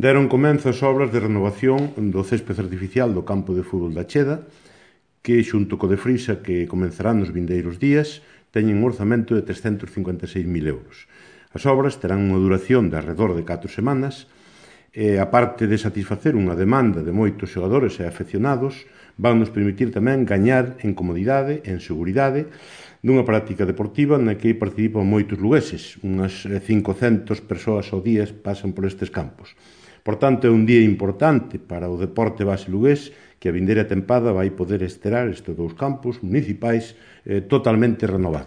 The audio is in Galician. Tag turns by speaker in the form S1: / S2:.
S1: Deron comenzo as obras de renovación do céspede artificial do campo de fútbol da Cheda, que, xunto co de Frisa, que comenzarán nos vindeiros días, teñen un orzamento de 356.000 euros. As obras terán unha duración de alrededor de 4 semanas e, a parte de satisfacer unha demanda de moitos xogadores e afeccionados, van nos permitir tamén gañar en comodidade, en seguridade, dunha práctica deportiva na que participan moitos lugueses. Unhas 500 persoas ao día pasan por estes campos. Por tanto, é un día importante para o deporte base lugués, que a vindeira tempada vai poder esterar estes dous campos municipais totalmente renovados.